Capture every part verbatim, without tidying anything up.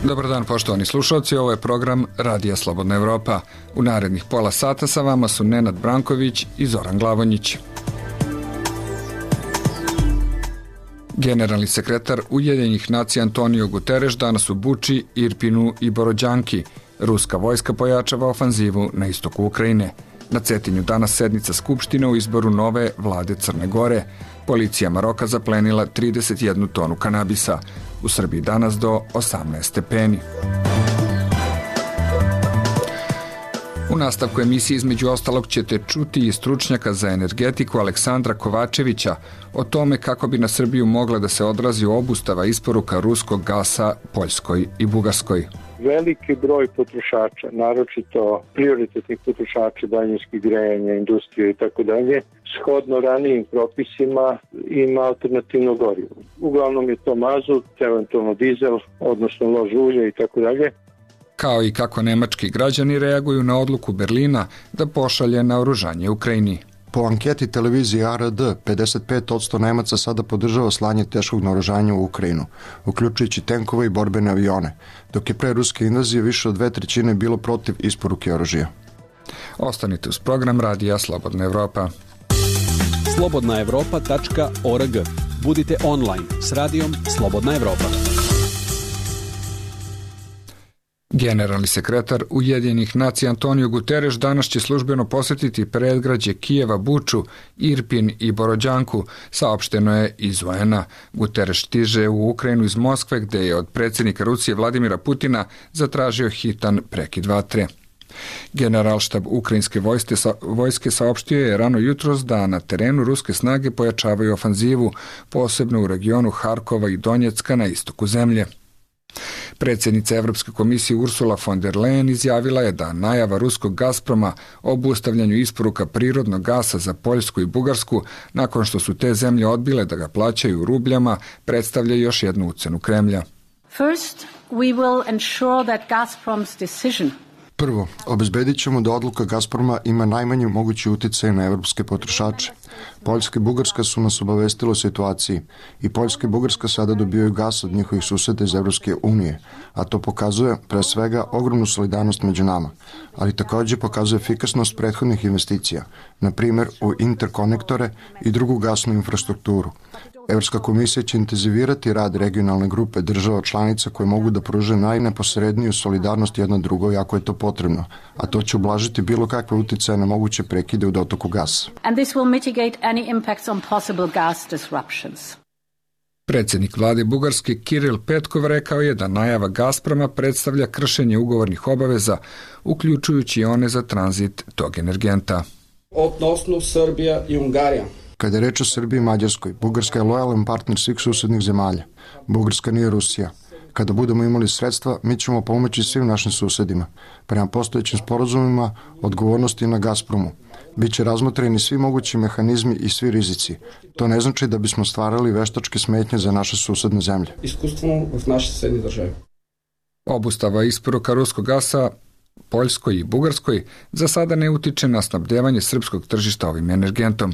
Dobar dan, poštovani slušalci, ovo je program Radija Slobodna Evropa. U narednih pola sata sa vama su Nenad Branković i Zoran Glavonjić. Generalni sekretar Ujedinjenih nacija Antonio Guterres danas u Buči, Irpinu i Borodjanki. Ruska vojska pojačava ofanzivu na istoku Ukrajine. Na Cetinju danas sednica Skupštine u izboru nove vlade Crne Gore. Policija Maroka zaplenila trideset jednu tonu kanabisa. U Srbiji danas do osamnaest stepeni. U nastavku emisije između ostalog ćete čuti i stručnjaka za energetiku Aleksandra Kovačevića o tome kako bi na Srbiju mogla da se odrazi obustava isporuka ruskog gasa Poljskoj i Bugarskoj. Veliki broj potrošača, naročito prioritetnih potrošača, daljinskih grejanja, industrije i tako dalje, shodno ranijim propisima ima alternativno gorivo. Uglavnom je to mazut, eventualno dizel, odnosno lož ulje i tako dalje. Kao i kako nemački građani reaguju na odluku Berlina da pošalje naoružanje Ukrajini. Po anketi televizije A R D, pedeset pet posto Nemaca sada podržava slanje teškog naoružanja u Ukrajinu, uključujući tenkove i borbene avione, dok je pre ruske invazije više od dve trećine bilo protiv isporuke oružja. Ostanite uz program Radija Slobodna Evropa. slobodna evropa tačka org. Budite online s radijom Slobodna Evropa. Generalni sekretar Ujedinjenih nacija Antonio Guterres danas će službeno posetiti predgrađe Kijeva, Buču, Irpin i Borodjanku, saopšteno je iz U N-a. Guterres stiže u Ukrajinu iz Moskve, gde je od predsjednika Rusije Vladimira Putina zatražio hitan prekid vatre. Generalštab ukrajinske vojske, vojske saopštio je rano jutros da na terenu ruske snage pojačavaju ofanzivu, posebno u regionu Harkova i Donjecka na istoku zemlje. Predsjednica Evropske komisije Ursula von der Leyen izjavila je da najava ruskog Gazproma o obustavljanju isporuka prirodnog gasa za Poljsku i Bugarsku, nakon što su te zemlje odbile da ga plaćaju u rubljama, predstavlja još jednu ucenu Kremlja. First, we will ensure that Gazprom's decision Prvo, obezbedit ćemo da odluka Gazproma ima najmanji mogući uticaj na evropske potrošače. Poljska i Bugarska su nas obavestile o situaciji i Poljska i Bugarska sada dobijaju gas od njihovih suseda iz Evropske unije, a to pokazuje pre svega ogromnu solidarnost među nama, ali takođe pokazuje efikasnost prethodnih investicija, na primjer u interkonektore i drugu gasnu infrastrukturu. Evropska komisija će intenzivirati rad regionalne grupe država članica koje mogu da pruže najneposredniju solidarnost jedna drugoj ako je to potrebno, a to će ublažiti bilo kakve uticaje na moguće prekide u dotoku gasa. And this will mitigate any impacts on possible gas disruptions. Predsjednik vlade Bugarske Kiril Petkov rekao je da najava Gazproma predstavlja kršenje ugovornih obaveza, uključujući one za tranzit tog energenta. Odnosno Srbija i Ungarija. Kada je reč o Srbiji i Mađarskoj, Bugarska je lojalan partner svih susednih zemalja. Bugarska nije Rusija. Kada budemo imali sredstva, mi ćemo pomoći svim našim susedima. Prema postojećim sporazumima, odgovornosti na Gazpromu. Biće razmotreni svi mogući mehanizmi i svi rizici. To ne znači da bismo stvarali veštačke smetnje za naše susedne zemlje. Iskustveno u naše susedne države. Obustava isporuka ruskog gasa Poljskoj i Bugarskoj za sada ne utiče na snabdevanje srpskog tržišta ovim energentom,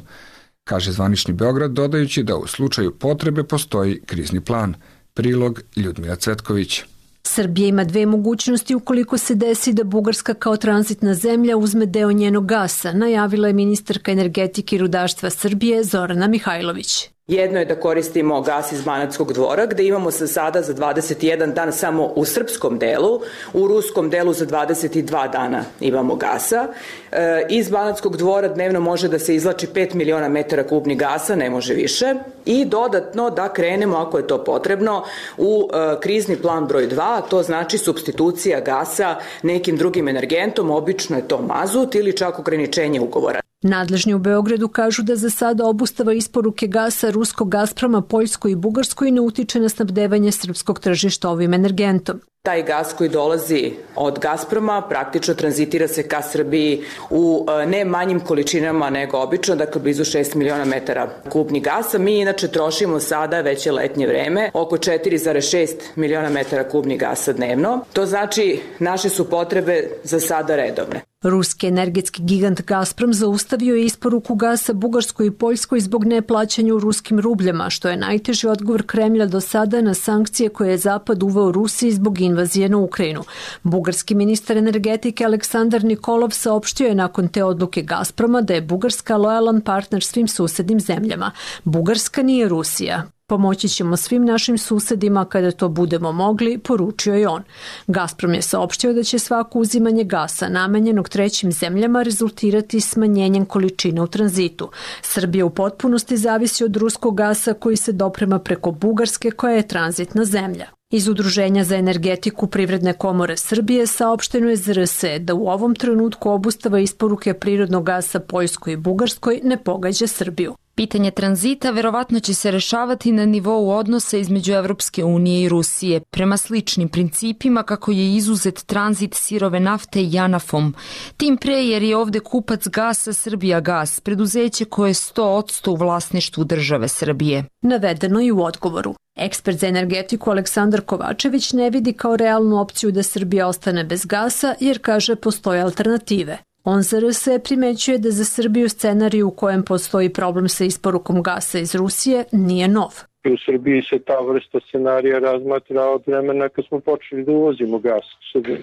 kaže zvanični Beograd, dodajući da u slučaju potrebe postoji krizni plan. Prilog Ljudmila Cvetković. Srbija ima dve mogućnosti ukoliko se desi da Bugarska kao tranzitna zemlja uzme deo njenog gasa, najavila je ministarka energetike i rudarstva Srbije Zorana Mihajlović. Jedno je da koristimo gas iz Banatskog dvora, gde imamo se sada za dvadeset jedan dan samo u srpskom delu, u ruskom delu za dvadeset dva dana imamo gasa. E, iz Banatskog dvora dnevno može da se izlači pet miliona metara kubnih gasa, ne može više. I dodatno da krenemo, ako je to potrebno, u e, krizni plan broj dva, to znači supstitucija gasa nekim drugim energentom, obično je to mazut ili čak ograničenje ugovora. Nadležni u Beogradu kažu da za sada obustava isporuke gasa ruskog Gazproma Poljskoj i Bugarskoj ne utiče na snabdevanje srpskog tržišta ovim energentom. Taj gas koji dolazi od Gazproma praktično tranzitira se ka Srbiji u ne manjim količinama nego obično, dakle blizu šest miliona metara kubnih gasa. Mi inače trošimo sada, već je letnje vreme, oko četiri zarez šest miliona metara kubnih gasa dnevno. To znači naše su potrebe za sada redovne. Ruski energetski gigant Gazprom zaustavio je isporuku gasa Bugarskoj i Poljskoj zbog neplaćanja u ruskim rubljama, što je najteži odgovor Kremlja do sada na sankcije koje je Zapad uveo Rusiji zbog invazije na Ukrajinu. Bugarski ministar energetike Aleksandar Nikolov saopštio je nakon te odluke Gazproma da je Bugarska lojalan partner svim susednim zemljama. Bugarska nije Rusija. Pomoći ćemo svim našim susedima kada to budemo mogli, poručio je on. Gazprom je saopštio da će svako uzimanje gasa namenjenog trećim zemljama rezultirati smanjenjem količina u tranzitu. Srbija u potpunosti zavisi od ruskog gasa koji se doprema preko Bugarske koja je tranzitna zemlja. Iz Udruženja za energetiku Privredne komore Srbije saopšteno je Z R S da u ovom trenutku obustava isporuke prirodnog gasa Poljskoj i Bugarskoj ne pogađa Srbiju. Pitanje tranzita verovatno će se rešavati na nivou odnosa između Evropske unije i Rusije, prema sličnim principima kako je izuzet tranzit sirove nafte Janafom. Tim pre jer je ovde kupac gasa Srbijagas, preduzeće koje je sto posto u vlasništvu države Srbije. Navedeno i u odgovoru. Ekspert za energetiku Aleksandar Kovačević ne vidi kao realnu opciju da Srbija ostane bez gasa jer kaže postoje alternative. On Z R S primećuje da za Srbiju scenariju u kojem postoji problem sa isporukom gasa iz Rusije nije nov. U Srbiji se ta vrsta scenarija razmatra od vremena kad smo počeli da uvozimo gas,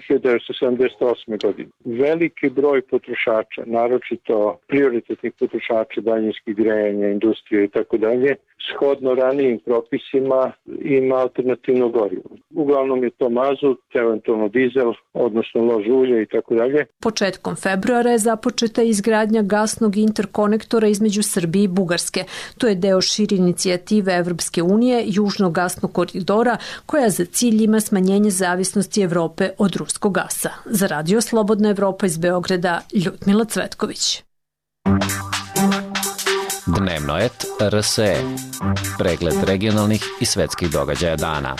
hiljadu devetsto sedamdeset osme. godine. Veliki broj potrošača, naročito prioritetnih potrošača daljinskih grejanja, industrije i tako dalje, shodno ranijim propisima ima alternativno gorivo. Uglavnom je to mazut, eventualno dizel, odnosno lož ulje i tako dalje. Početkom februara je započeta izgradnja gasnog interkonektora između Srbije i Bugarske. To je deo šire inicijative Evropske unije, Južnog gasnog koridora, koja za cilj ima smanjenje zavisnosti Evrope od ruskog gasa. Za Radio Slobodna Evropa iz Beograda, Ljudmila Cvetković. Dnevno et R S E. Pregled regionalnih i svetskih događaja dana.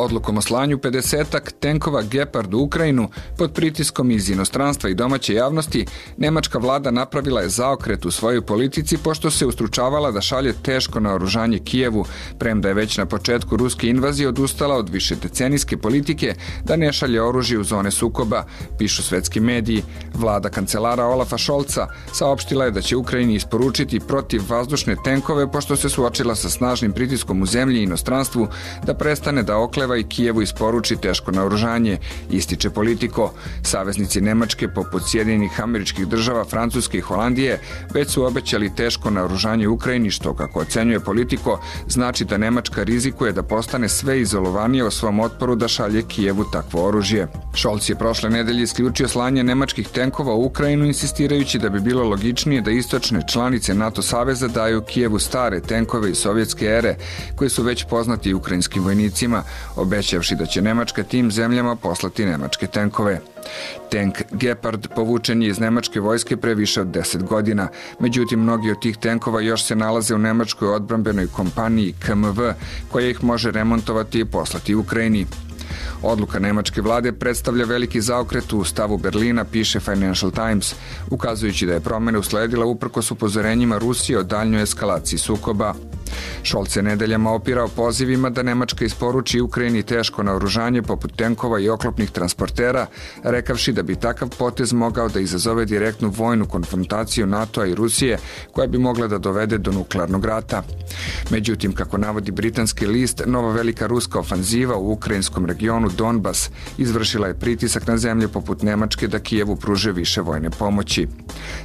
Odlukom o slanju pedesetak tenkova Gepard u Ukrajinu pod pritiskom iz inostranstva i domaće javnosti, nemačka vlada napravila je zaokret u svojoj politici pošto se ustručavala da šalje teško naoružanje Kijevu, premda je već na početku ruske invazije odustala od višedecenijske politike da ne šalje oružje u zone sukoba, pišu svetski mediji. Vlada kancelara Olafa Šolca saopštila je da će Ukrajini isporučiti protivvazdušne tenkove pošto se suočila sa snažnim pritiskom u zemlji i inostranstvu da prestane da okleva i Kijevu isporuči teško naoružanje, ističe Politico. Saveznici Nemačke, poput Sjedinjenih Američkih Država, Francuske i Holandije, već su obećali teško naoružanje Ukrajini, što, kako ocenjuje Politico, znači da Nemačka rizikuje da postane sve izolovanije u svom otporu da šalje Kijevu takvo oružje. Scholz je prošle nedelje isključio slanje nemačkih tenkova u Ukrajinu, insistirajući da bi bilo logičnije da istočne članice NATO saveza daju Kijevu stare tenkove iz sovjetske ere, koji su već poznati ukrajinskim vojnicima, obećavši da će Nemačka tim zemljama poslati nemačke tenkove. Tenk Gepard povučen je iz nemačke vojske pre više od deset godina. Međutim, mnogi od tih tenkova još se nalaze u nemačkoj odbrambenoj kompaniji K M V, koja ih može remontovati i poslati Ukrajini. Odluka nemačke vlade predstavlja veliki zaokret u stavu Berlina, piše Financial Times, ukazujući da je promena usledila uprkos upozorenjima Rusije o daljnjoj eskalaciji sukoba. Scholz je nedeljama opirao pozivima da Nemačka isporuči Ukrajini teško naoružanje poput tenkova i oklopnih transportera, rekavši da bi takav potez mogao da izazove direktnu vojnu konfrontaciju NATO-a i Rusije, koja bi mogla da dovede do nuklearnog rata. Međutim, kako navodi britanski list, nova velika ruska ofanziva u ukrajinskom regionu Donbas izvršila je pritisak na zemlje poput Nemačke da Kijevu pruže više vojne pomoći.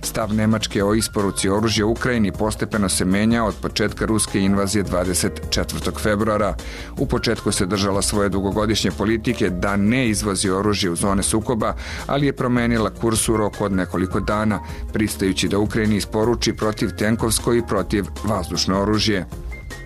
Stav Nemačke o isporuci oružja Ukrajini postepeno se menja od početka ruske invazije dvadeset četvrtog februara. U početku se držala svoje dugogodišnje politike da ne izvozi oružje u zone sukoba, ali je promenila kurs u roku od nekoliko dana, pristajući da Ukrajini isporuči protiv tenkovsko i protiv vazdušno oružje.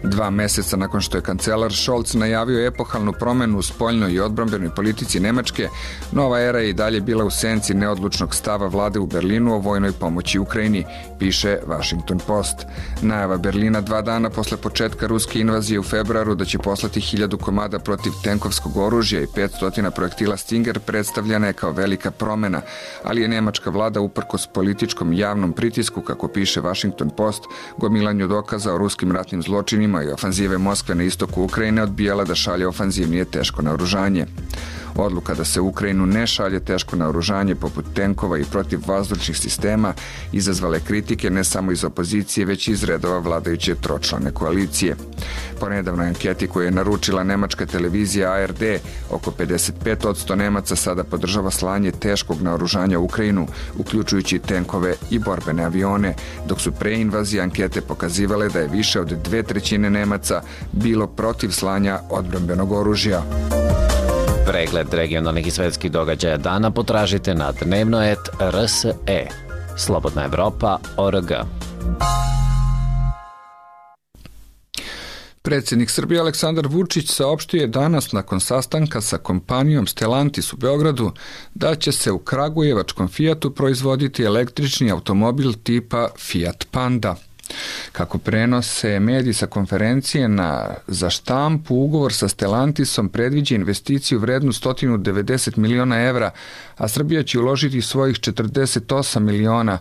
Dva meseca nakon što je kancelar Scholz najavio epohalnu promenu u spoljnoj i odbrambenoj politici Nemačke, nova era je i dalje bila u senci neodlučnog stava vlade u Berlinu o vojnoj pomoći Ukrajini, piše Washington Post. Najava Berlina dva dana posle početka ruske invazije u februaru da će poslati hiljadu komada protiv tenkovskog oružja i petsto projektila Stinger predstavljena je kao velika promena, ali je nemačka vlada uprkos političkom javnom pritisku, kako piše Washington Post, gomilanju dokaza o ruskim ratnim zločinima i ofanzive Moskve na istoku Ukrajine odbijala da šalje ofanzivnije teško naoružanje. Odluka da se u Ukrajinu ne šalje teško naoružanje poput tenkova i protivvazdušnih sistema izazvale kritike ne samo iz opozicije, već i iz redova vladajuće tročlane koalicije. Po nedavnoj anketi koju je naručila nemačka televizija A R D, oko pedeset pet posto Nemaca sada podržava slanje teškog naoružanja u Ukrajinu, uključujući tenkove i borbene avione, dok su pre invazije ankete pokazivale da je više od dve trećine Nemaca bilo protiv slanja odbrambenog oružja. Pregled regionalnih i svetskih događaja dana potražite na dnevno et er es e. Slobodna Evropa tačka org. Predsjednik Srbije Aleksandar Vučić saopštio je danas nakon sastanka sa kompanijom Stellantis u Beogradu da će se u kragujevačkom Fijatu proizvoditi električni automobil tipa Fiat Panda. Kako prenose mediji sa konferencije na za štampu, ugovor sa Stellantisom predviđa investiciju vrednu sto devedeset miliona evra, a Srbija će uložiti svojih četrdeset osam miliona.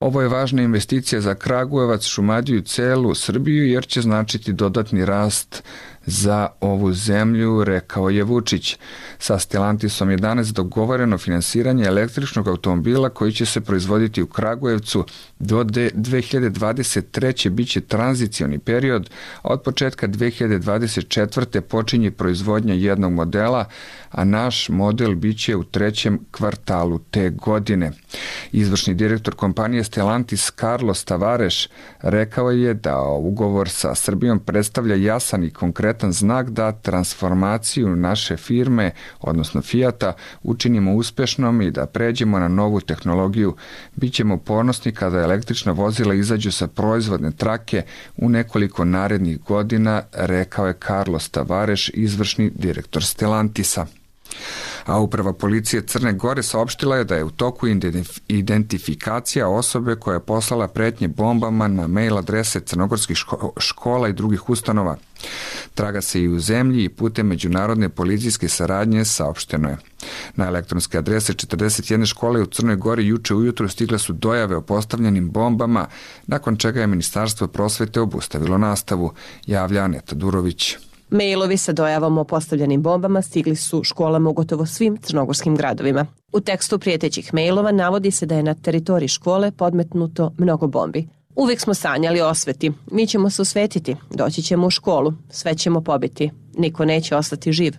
Ovo je važna investicija za Kragujevac, Šumadiju i celu Srbiju jer će značiti dodatni rast za ovu zemlju, rekao je Vučić. Sa Stellantisom je danas dogovoreno finansiranje električnog automobila koji će se proizvoditi u Kragujevcu. Do dve hiljade dvadeset treće biće tranzicioni period, a od početka dve hiljade dvadeset četvrte počinje proizvodnja jednog modela, a naš model biće u trećem kvartalu te godine. Izvršni direktor kompanije Stellantis Carlos Tavares rekao je da ugovor sa Srbijom predstavlja jasan i konkretan znak da transformaciju naše firme, odnosno Fijata, učinimo uspešnom i da pređemo na novu tehnologiju. Bićemo ponosni kada električna vozila izađu sa proizvodne trake u nekoliko narednih godina, rekao je Carlos Tavares, izvršni direktor Stellantisa. A uprava policije Crne Gore saopštila je da je u toku identifikacija osobe koja je poslala pretnje bombama na mail adrese crnogorskih škola i drugih ustanova. Traga se i u zemlji i putem međunarodne policijske saradnje, saopšteno je. Na elektronske adrese četrdeset jedne škole u Crnoj Gori juče ujutro stigle su dojave o postavljenim bombama, nakon čega je Ministarstvo prosvete obustavilo nastavu, javlja Aneta Durović. Mailovi sa dojavom o postavljenim bombama stigli su školama u gotovo svim crnogorskim gradovima. U tekstu prijetećih mailova navodi se da je na teritoriji škole podmetnuto mnogo bombi. Uvijek smo sanjali o osveti. Mi ćemo se osvetiti, doći ćemo u školu, sve ćemo pobiti. Niko neće ostati živ.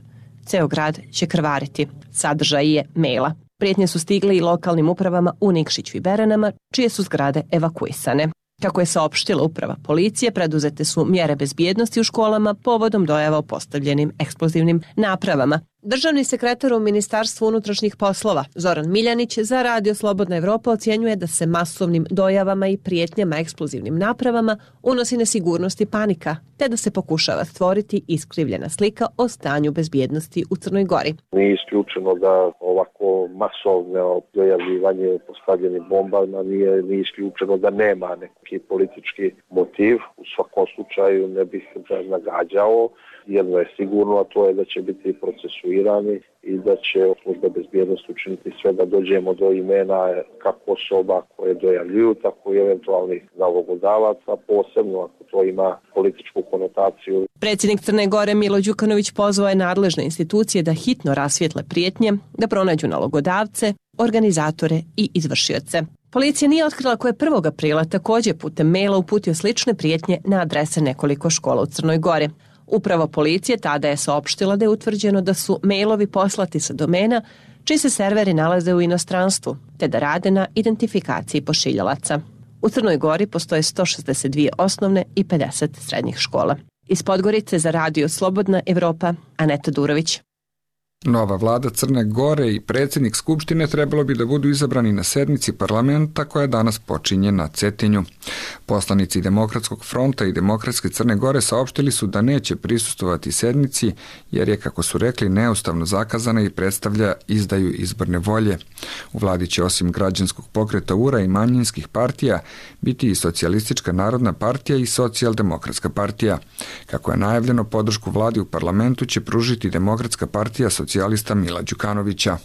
Ceo grad će krvariti. Sadržaj je maila. Prijetnje su stigle i lokalnim upravama u Nikšiću i Beranama, čije su zgrade evakuisane. Kako je saopštila uprava policije, preduzete su mjere bezbjednosti u školama povodom dojava o postavljenim eksplozivnim napravama. Državni sekretar u Ministarstvu unutrašnjih poslova Zoran Miljanić za Radio Slobodna Evropa ocjenjuje da se masovnim dojavama i prijetnjama eksplozivnim napravama unosi nesigurnost i panika, te da se pokušava stvoriti iskrivljena slika o stanju bezbjednosti u Crnoj Gori. Nije isključeno da ovako masovno dojavljivanje postavljenim bombama nije, nije isključeno da nema neki politički motiv. U svakom slučaju ne bih da nagađao. Jedno je sigurno, a to je da će biti procesuirani i da će služba bezbjednosti učiniti sve da dođemo do imena kako osoba koje dojavljuju, tako i eventualnih nalogodavaca, posebno ako to ima političku konotaciju. Predsjednik Crne Gore Milo Đukanović pozvao je nadležne institucije da hitno rasvijetle prijetnje, da pronađu nalogodavce, organizatore i izvršioce. Policija nije otkrila ko je prvog aprila također putem maila uputio slične prijetnje na adrese nekoliko škola u Crnoj Gori. Uprava policije tada je saopštila da je utvrđeno da su mailovi poslati sa domena čiji se serveri nalaze u inostranstvu, te da rade na identifikaciji pošiljalaca. U Crnoj Gori postoje sto šezdeset dvije osnovne i pedeset srednjih škola. Iz Podgorice za Radio Slobodna Evropa, Aneta Durović. Nova vlada Crne Gore i predsjednik Skupštine trebalo bi da budu izabrani na sednici parlamenta koja danas počinje na Cetinju. Poslanici Demokratskog fronta i Demokratske Crne Gore saopštili su da neće prisustvovati sednici jer je, kako su rekli, neustavno zakazana i predstavlja izdaju izborne volje. U vladi će osim građanskog pokreta U R A i manjinskih partija biti i Socijalistička narodna partija i Socijaldemokratska partija. Kako je najavljeno, podršku vladi u parlamentu će pružiti Demokratska partija socijalista Mila Đukanovića.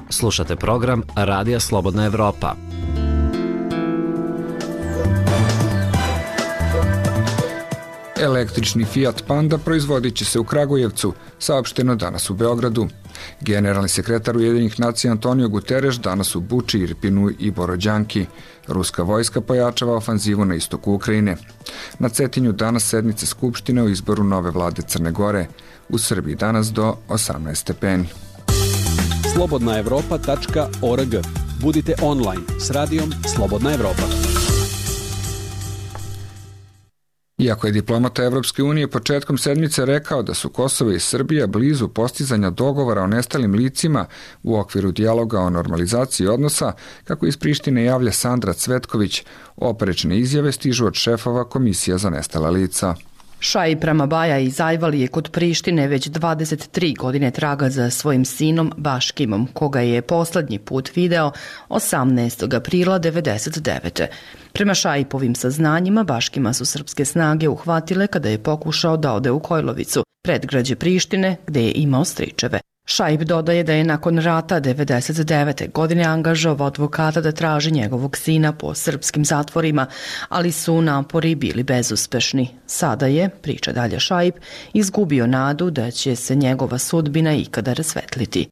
Slušate program Radija Slobodna Evropa. Električni Fiat Panda proizvodit će se u Kragujevcu, saopšteno danas u Beogradu. Generalni sekretar Ujedinjenih nacija Antonio Guterres danas u Buči, Irpinu i Borođanki. Ruska vojska pojačava ofanzivu na istoku Ukrajine. Na Cetinju danas sednice Skupštine o izboru nove vlade Crne Gore. U Srbiji danas do osamnaest stepeni. slobodna evropa tačka org. Budite online s radijom Slobodna Evropa. Iako je diplomata Evropske unije početkom sedmice rekao da su Kosovo i Srbija blizu postizanja dogovora o nestalim licima u okviru dijaloga o normalizaciji odnosa, kako iz Prištine javlja Sandra Cvetković, oprečne izjave stižu od šefova Komisija za nestala lica. Šaip Ramabaja iz Ajvalije kod Prištine već dvadeset tri godine traga za svojim sinom Baškimom, koga je poslednji put video osamnaestog aprila devedeset devete. Prema Šaipovim saznanjima, Baškima su srpske snage uhvatile kada je pokušao da ode u Kojlovicu, predgrađe Prištine, gde je imao stričeve. Šaip dodaje da je nakon rata devedeset devete godine angažovao advokata da traži njegovog sina po srpskim zatvorima, ali su napori bili bezuspešni. Sada je, priča dalje Šaip, izgubio nadu da će se njegova sudbina ikada rasvetliti.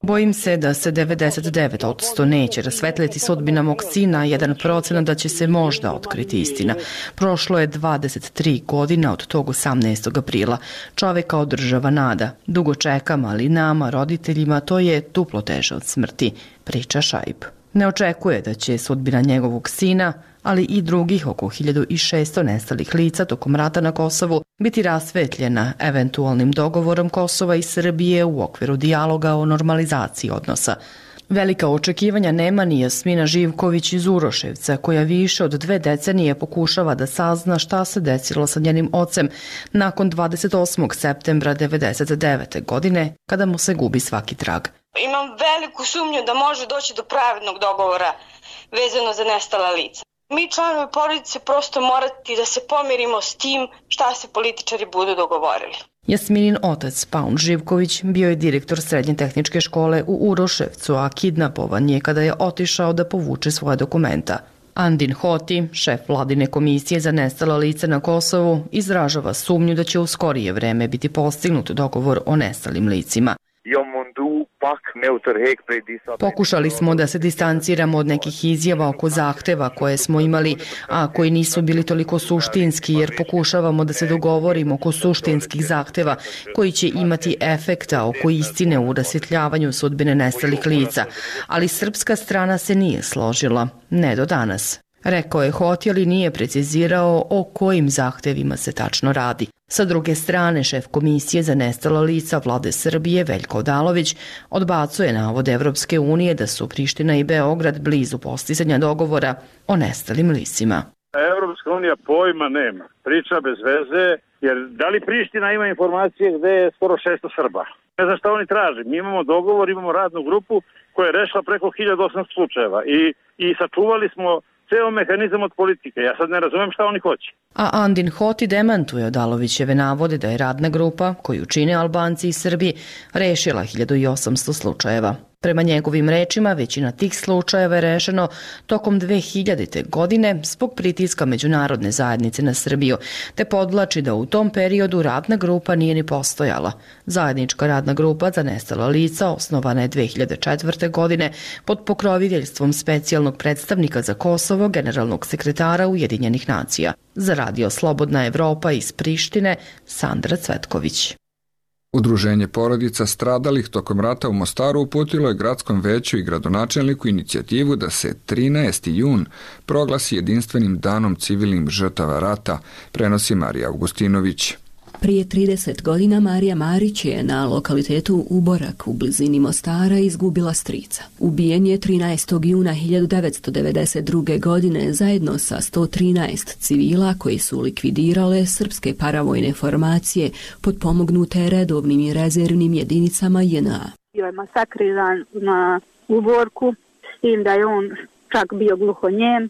Bojim se da se devedeset devet posto neće rasvetliti sudbina mog sina, jedan procenat da će se možda otkriti istina. Prošlo je dvadeset tri godina od tog osamnaestog aprila. Čoveka održava nada. Dugo čekam, ali nama, roditeljima, to je duplo teže od smrti, priča Šaip. Ne očekuje da će sudbina njegovog sina, ali i drugih oko hiljadu šesto nestalih lica tokom rata na Kosovu biti rasvetljena eventualnim dogovorom Kosova i Srbije u okviru dijaloga o normalizaciji odnosa. Velika očekivanja nema ni Jasmina Živković iz Uroševca, koja više od dve decenije pokušava da sazna šta se desilo sa njenim ocem nakon dvadeset osmog septembra devedeset devete godine, kada mu se gubi svaki trag. Imam veliku sumnju da može doći do pravednog dogovora vezano za nestala lica. Mi članovi porodice prosto morati da se pomirimo s tim šta se političari budu dogovorili. Jasminin otac, Paun Živković, bio je direktor srednje tehničke škole u Uroševcu, a kidnapovan je kada je otišao da povuče svoje dokumenta. Andin Hoti, šef vladine komisije za nestala lica na Kosovu, izražava sumnju da će u skorije vreme biti postignut dogovor o nestalim licima. Pokušali smo da se distanciramo od nekih izjava oko zahteva koje smo imali, a koji nisu bili toliko suštinski, jer pokušavamo da se dogovorimo oko suštinskih zahteva koji će imati efekta oko istine u rasvjetljavanju sudbine nestalih lica, ali srpska strana se nije složila, ne do danas. Rekao je Hoti, ali nije precizirao o kojim zahtevima se tačno radi. Sa druge strane, šef Komisije za nestala lica vlade Srbije, Veljko Odalović, odbacuje navode Evropske unije da su Priština i Beograd blizu postizanja dogovora o nestalim licima. Evropska unija pojma nema, priča bez veze, jer da li Priština ima informacije gde je skoro šesto Srba? Ne znam šta oni traže. Mi imamo dogovor, imamo radnu grupu koja je rešila preko hiljadu osamsto slučajeva i, i sačuvali smo ceo mehanizam od politike. Ja sad ne razumem šta oni hoće. A Andin Hoti demantuje Odalovićeve navode da je radna grupa, koju čine Albanci i Srbi, rešila hiljadu osamsto slučajeva. Prema njegovim rečima, većina tih slučajeva je rešeno tokom dve hiljadite. godine zbog pritiska međunarodne zajednice na Srbiju, te podvlači da u tom periodu radna grupa nije ni postojala. Zajednička radna grupa za nestala lica osnovana je dve hiljade četvrte. godine pod pokroviteljstvom specijalnog predstavnika za Kosovo, generalnog sekretara Ujedinjenih nacija. Za radio Slobodna Evropa iz Prištine, Sandra Cvetković. Udruženje porodica stradalih tokom rata u Mostaru uputilo je gradskom veću i gradonačelniku inicijativu da se trinaesti jun proglasi jedinstvenim danom civilnim žrtava rata, prenosi Marija Augustinović. Prije trideset godina Marija Marić je na lokalitetu Uborak u blizini Mostara izgubila strica. Ubijen je trinaestog juna hiljadu devetsto devedeset druge. godine zajedno sa sto trinaest civila koji su likvidirale srpske paravojne formacije potpomognute redovnim i rezervnim jedinicama J N A. Bio je masakriran na Uborku, s tim da je on čak bio gluhonjem. E,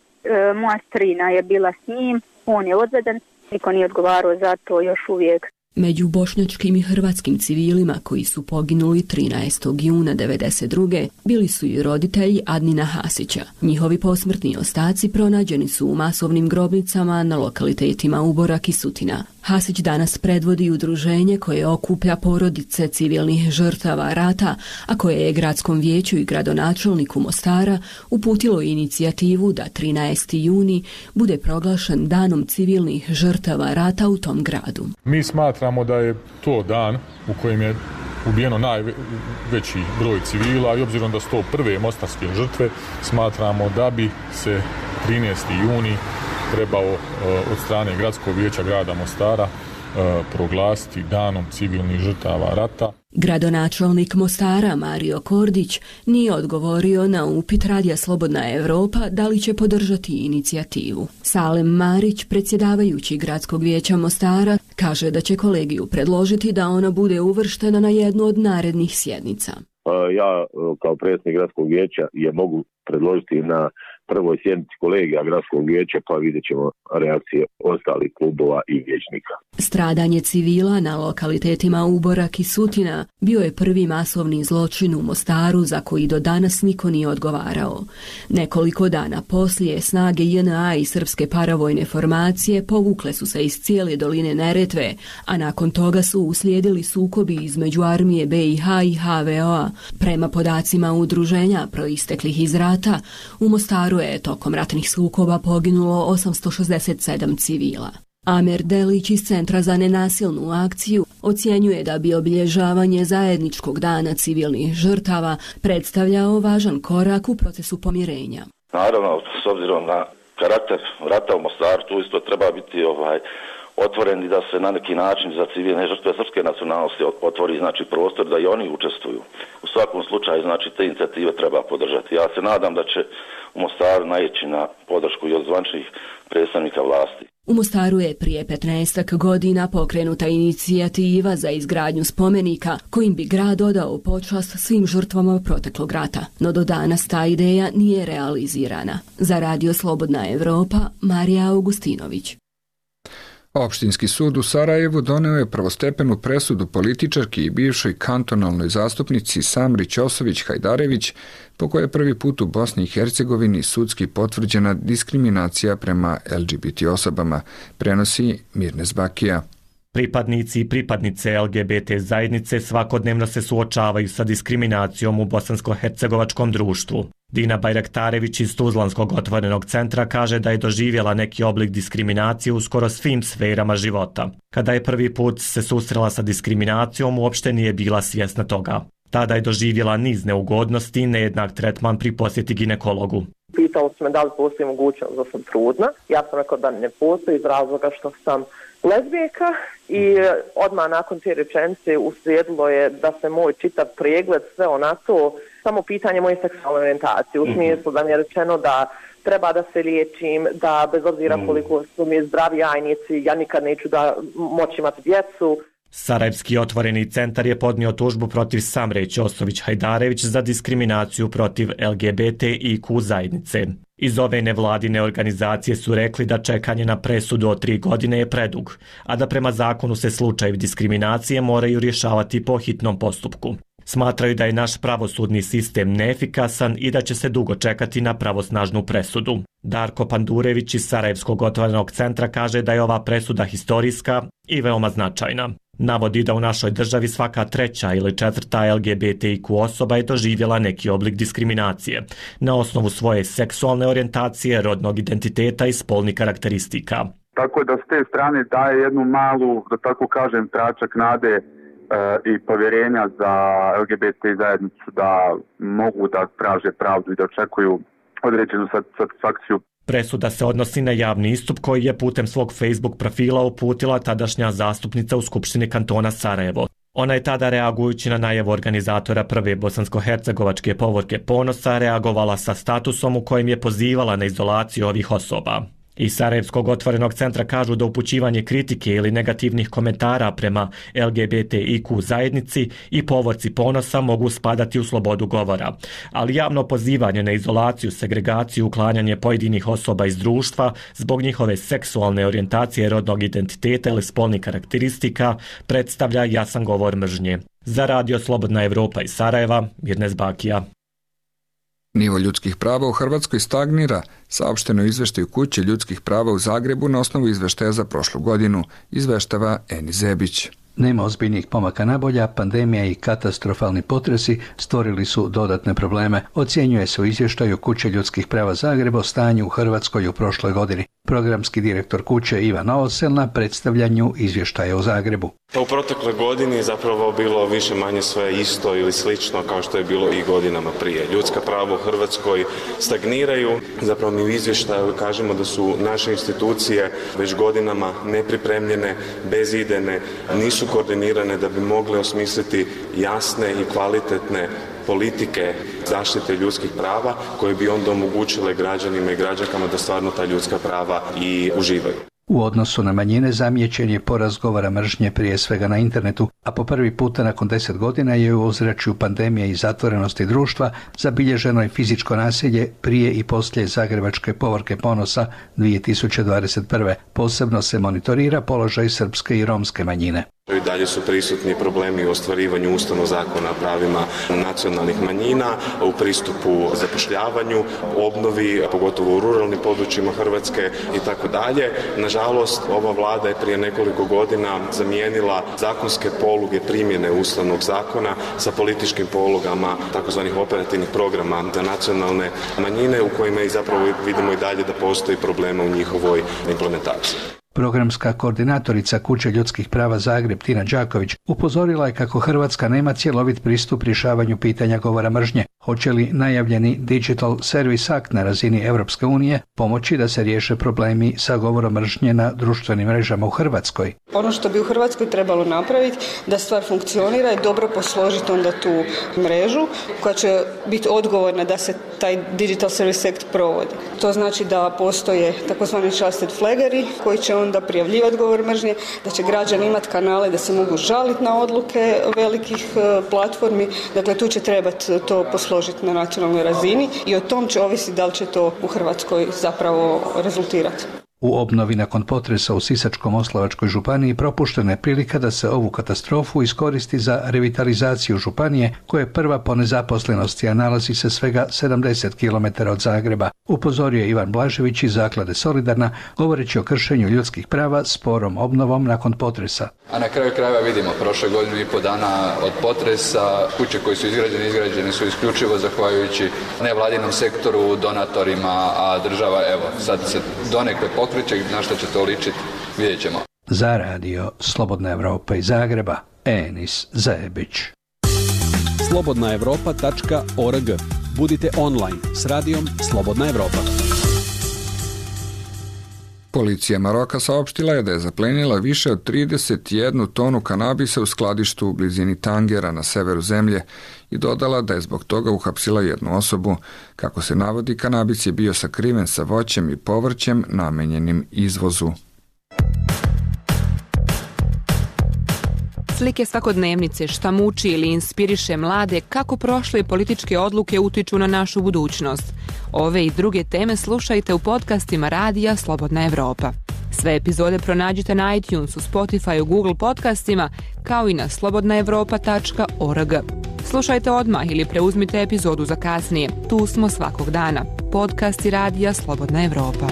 moja strina je bila s njim, on je odveden. Niko nije odgovarao za to još uvijek. Među bošnjačkim i hrvatskim civilima koji su poginuli trinaestog juna devedeset druge bili su i roditelji Adnina Hasića. Njihovi posmrtni ostaci pronađeni su u masovnim grobnicama na lokalitetima Uborak i Sutina. Hasić danas predvodi udruženje koje okuplja porodice civilnih žrtava rata, a koje je gradskom vijeću i gradonačelniku Mostara uputilo inicijativu da trinaesti juni bude proglašen danom civilnih žrtava rata u tom gradu. Mi smatramo da je to dan u kojem je ubijeno najveći broj civila i obzirom da su to prve mostarske žrtve, smatramo da bi se trinaesti juni trebao od strane Gradskog vijeća grada Mostara proglasiti danom civilnih žrtava rata. Gradonačelnik Mostara Mario Kordić nije odgovorio na upit Radija Slobodna Evropa da li će podržati inicijativu. Salem Marić, predsjedavajući Gradskog vijeća Mostara, kaže da će kolegiju predložiti da ona bude uvrštena na jednu od narednih sjednica. Ja kao predsjednik Gradskog vijeća je mogu predložiti na prvoj sjednici kolegija Gradskog vijeća, pa vidjet ćemo reakcije ostalih klubova i vijećnika. Stradanje civila na lokalitetima Uborak i Sutina bio je prvi masovni zločin u Mostaru za koji do danas niko nije odgovarao. Nekoliko dana poslije snage J N A i srpske paravojne formacije povukle su se iz cijele doline Neretve, a nakon toga su uslijedili sukobi između armije B i H i H V O-a. Prema podacima udruženja proisteklih iz rata, u Mostaru je tokom ratnih sukoba poginulo osamsto šezdeset sedam civila. Amer Delić iz Centra za nenasilnu akciju ocjenjuje da bi obilježavanje zajedničkog dana civilnih žrtava predstavljao važan korak u procesu pomirenja. Naravno, s obzirom na karakter rata u Mostaru, tu isto treba biti ovaj otvoreni da se na neki način za civilne žrtve srpske nacionalnosti otvori znači prostor da i oni učestvuju. U svakom slučaju znači te inicijative treba podržati. Ja se nadam da će u Mostaru naići na podršku i od zvaničnih predstavnika vlasti. U Mostaru je prije petnaestak godina pokrenuta inicijativa za izgradnju spomenika kojim bi grad odao počast svim žrtvama proteklog rata, no do danas ta ideja nije realizirana. Za Radio Slobodna Evropa, Marija Augustinović. Opštinski sud u Sarajevu doneo je prvostepenu presudu političarki i bivšoj kantonalnoj zastupnici Samri Ćosović-Hajdarević, po kojoj je prvi put u Bosni i Hercegovini sudski potvrđena diskriminacija prema L G B T osobama, prenosi Mirnes Bakija. Pripadnici i pripadnice L G B T zajednice svakodnevno se suočavaju sa diskriminacijom u bosansko-hercegovačkom društvu. Dina Bajraktarević iz Tuzlanskog otvorenog centra kaže da je doživjela neki oblik diskriminacije u skoro svim sferama života. Kada je prvi put se susrela sa diskriminacijom, uopšte nije bila svjesna toga. Tada je doživjela niz neugodnosti i nejednak tretman pri posjeti ginekologu. Pitao su me da li postoji mogućnost da sam trudna. Ja sam rekao da ne postoji iz razloga što sam lezbijka i odmah nakon te rečenice uslijedilo je da se moj čitav pregled sve onako, samo pitanje moje seksualne orijentacije, u smislu da mi je rečeno da treba da se liječim, da bez obzira koliko su mi zdravi jajnici, ja nikad neću da moći imati djecu. Sarajevski otvoreni centar je podnio tužbu protiv Samre Ćosović-Hajdarević za diskriminaciju protiv L G B T I Q zajednice. Iz ove nevladine organizacije su rekli da čekanje na presudu od tri godine je predug, a da prema zakonu se slučajevi diskriminacije moraju rješavati po hitnom postupku. Smatraju da je naš pravosudni sistem neefikasan i da će se dugo čekati na pravosnažnu presudu. Darko Pandurević iz Sarajevskog otvorenog centra kaže da je ova presuda historijska i veoma značajna. Navodi da u našoj državi svaka treća ili četvrta L G B T I Q osoba je doživjela neki oblik diskriminacije na osnovu svoje seksualne orijentacije, rodnog identiteta i spolnih karakteristika. Tako da s te strane daje jednu malu, da tako kažem, tračak nade e, i povjerenja za L G B T zajednicu da mogu da traže pravdu i da očekuju određenu satisfakciju. Presuda se odnosi na javni istup koji je putem svog Facebook profila uputila tadašnja zastupnica u Skupštini kantona Sarajevo. Ona je tada, reagujući na najavu organizatora prve bosansko-hercegovačke povorke Ponosa, reagovala sa statusom u kojem je pozivala na izolaciju ovih osoba. Iz Sarajevskog otvorenog centra kažu da upućivanje kritike ili negativnih komentara prema L G B T I Q zajednici i povorci ponosa mogu spadati u slobodu govora, ali javno pozivanje na izolaciju, segregaciju, uklanjanje pojedinih osoba iz društva zbog njihove seksualne orijentacije, rodnog identiteta ili spolnih karakteristika predstavlja jasan govor mržnje. Za Radio Slobodna Evropa iz Sarajeva, Mirnes Bakija. Nivo ljudskih prava u Hrvatskoj stagnira, saopšteno izveštaju Kuće ljudskih prava u Zagrebu na osnovu izveštaja za prošlu godinu, izveštava Eni Zebić. Nema ozbiljnih pomaka nabolja, pandemija i katastrofalni potresi stvorili su dodatne probleme. Ocjenjuje se u izvještaju Kuće ljudskih prava Zagreba o stanju u Hrvatskoj u prošloj godini. Programski direktor Kuće Ivan Novosel na predstavljanju izvještaja u Zagrebu. U protekle godini zapravo bilo više manje sve isto ili slično kao što je bilo i godinama prije. Ljudska prava u Hrvatskoj stagniraju. Zapravo mi u izvještaju kažemo da su naše institucije već godinama nepripremljene, bezidejne, nisu koordinirane da bi mogle osmisliti jasne i kvalitetne politike zaštite ljudskih prava koje bi onda omogućile građanima i građankama da stvarno ta ljudska prava i uživaju. U odnosu na manjine zamijećen je porast govora mržnje prije svega na internetu, a po prvi puta nakon deset godina je u ozračju pandemije i zatvorenosti društva zabilježeno je fizičko nasilje prije i poslije Zagrebačke povorke ponosa dvije tisuće dvadeset prve. Posebno se monitorira položaj srpske i romske manjine. I dalje su prisutni problemi u ostvarivanju Ustavnog zakona o pravima nacionalnih manjina, u pristupu zapošljavanju, obnovi, pogotovo u ruralnim područjima Hrvatske i tako dalje. Nažalost, ova vlada je prije nekoliko godina zamijenila zakonske poluge primjene Ustavnog zakona sa političkim polugama takozvanih operativnih programa za nacionalne manjine u kojima i zapravo vidimo i dalje da postoji problema u njihovoj implementaciji. Programska koordinatorica Kuće ljudskih prava Zagreb Tina Đaković upozorila je kako Hrvatska nema cjelovit pristup rješavanju pitanja govora mržnje. Hoće li najavljeni Digital Service Act na razini Europske unije pomoći da se riješe problemi sa govorom mržnje na društvenim mrežama u Hrvatskoj? Ono što bi u Hrvatskoj trebalo napraviti da stvar funkcionira je dobro posložiti onda tu mrežu koja će biti odgovorna da se taj Digital Service Act provodi. To znači da postoje takozvani trusted flaggeri koji će onda prijavljivati govor mržnje, da će građani imati kanale da se mogu žaliti na odluke velikih platformi. Dakle, tu će trebati to posložiti na nacionalnoj razini i o tom će ovisiti da li će to u Hrvatskoj zapravo rezultirati. U obnovi nakon potresa u Sisačko-moslavačkoj županiji propuštena je prilika da se ovu katastrofu iskoristi za revitalizaciju županije koja je prva po nezaposlenosti, a nalazi se svega sedamdeset kilometara od Zagreba. Upozorio je Ivan Blažević iz Zaklade Solidarna govoreći o kršenju ljudskih prava sporom obnovom nakon potresa. A na kraju krajeva vidimo, prošle godinu i pol dana od potresa, kuće koje su izgrađene, izgrađene su isključivo zahvaljujući nevladinom sektoru, donatorima, a država, evo, sad se donekle pokreće, na što će to ličiti, vidjet ćemo. Za Radio Slobodna Evropa iz Zagreba, Enis Zebić. slobodna evropa tačka org. Budite online s radijom Slobodna Evropa. Policija Maroka saopštila je da je zaplenila više od trideset jednu tonu kanabisa u skladištu u blizini Tangera na severu zemlje i dodala da je zbog toga uhapsila jednu osobu. Kako se navodi, kanabis je bio sakriven sa voćem i povrćem namenjenim izvozu. Slike svakodnevnice, šta muči ili inspiriše mlade, kako prošle političke odluke utiču na našu budućnost. Ove i druge teme slušajte u podcastima Radija Slobodna Evropa. Sve epizode pronađite na iTunesu, Spotifyu, Google podcastima, kao i na slobodna evropa tačka org. Slušajte odmah ili preuzmite epizodu za kasnije. Tu smo svakog dana. Podcasti Radija Slobodna Evropa.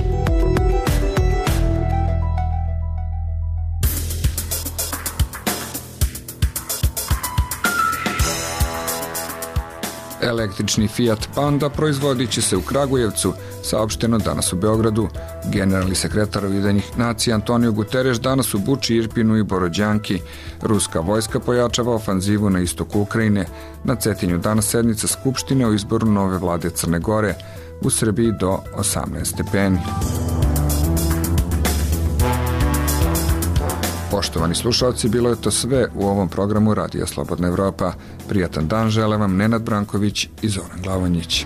Električni Fiat Panda proizvodit će se u Kragujevcu, saopšteno danas u Beogradu. Generalni sekretar Ujedinjenih nacija Antonio Guterres danas u Buči, Irpinu i Borodjanki. Ruska vojska pojačava ofanzivu na istoku Ukrajine. Na Cetinju danas sednica Skupštine o izboru nove vlade Crne Gore. U Srbiji do osamnaest stepeni. Poštovani slušalci, bilo je to sve u ovom programu Radija Slobodna Evropa. Prijatan dan žele vam Nenad Branković i Zoran Glavonjić.